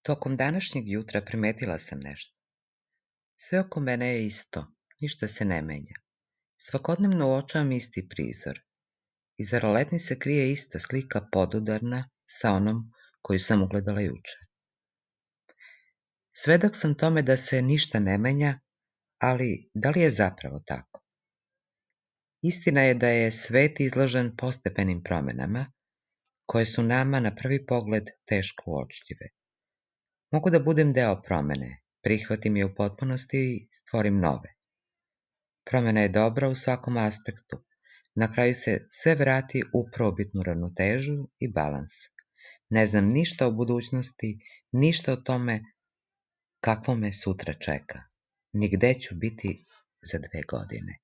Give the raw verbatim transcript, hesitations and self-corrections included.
Tokom današnjeg jutra primetila sam nešto. Sve oko mene je isto, ništa se ne menja. Svakodnevno uočavam isti prizor. Iza roletni se krije ista slika podudarna sa onom koju sam ugledala juče. Svedok sam tome da se ništa ne menja, ali da li je zapravo tako? Istina je da je svet izložen postepenim promenama, koje su nama na prvi pogled teško uočljive. Mogu da budem deo promene, prihvatim je u potpunosti i stvorim nove. Promena je dobra u svakom aspektu. Na kraju se sve vrati u probitnu ravnotežu i balans. Ne znam ništa o budućnosti, ništa o tome kakvo me sutra čeka, ni gde ću biti za dve godine.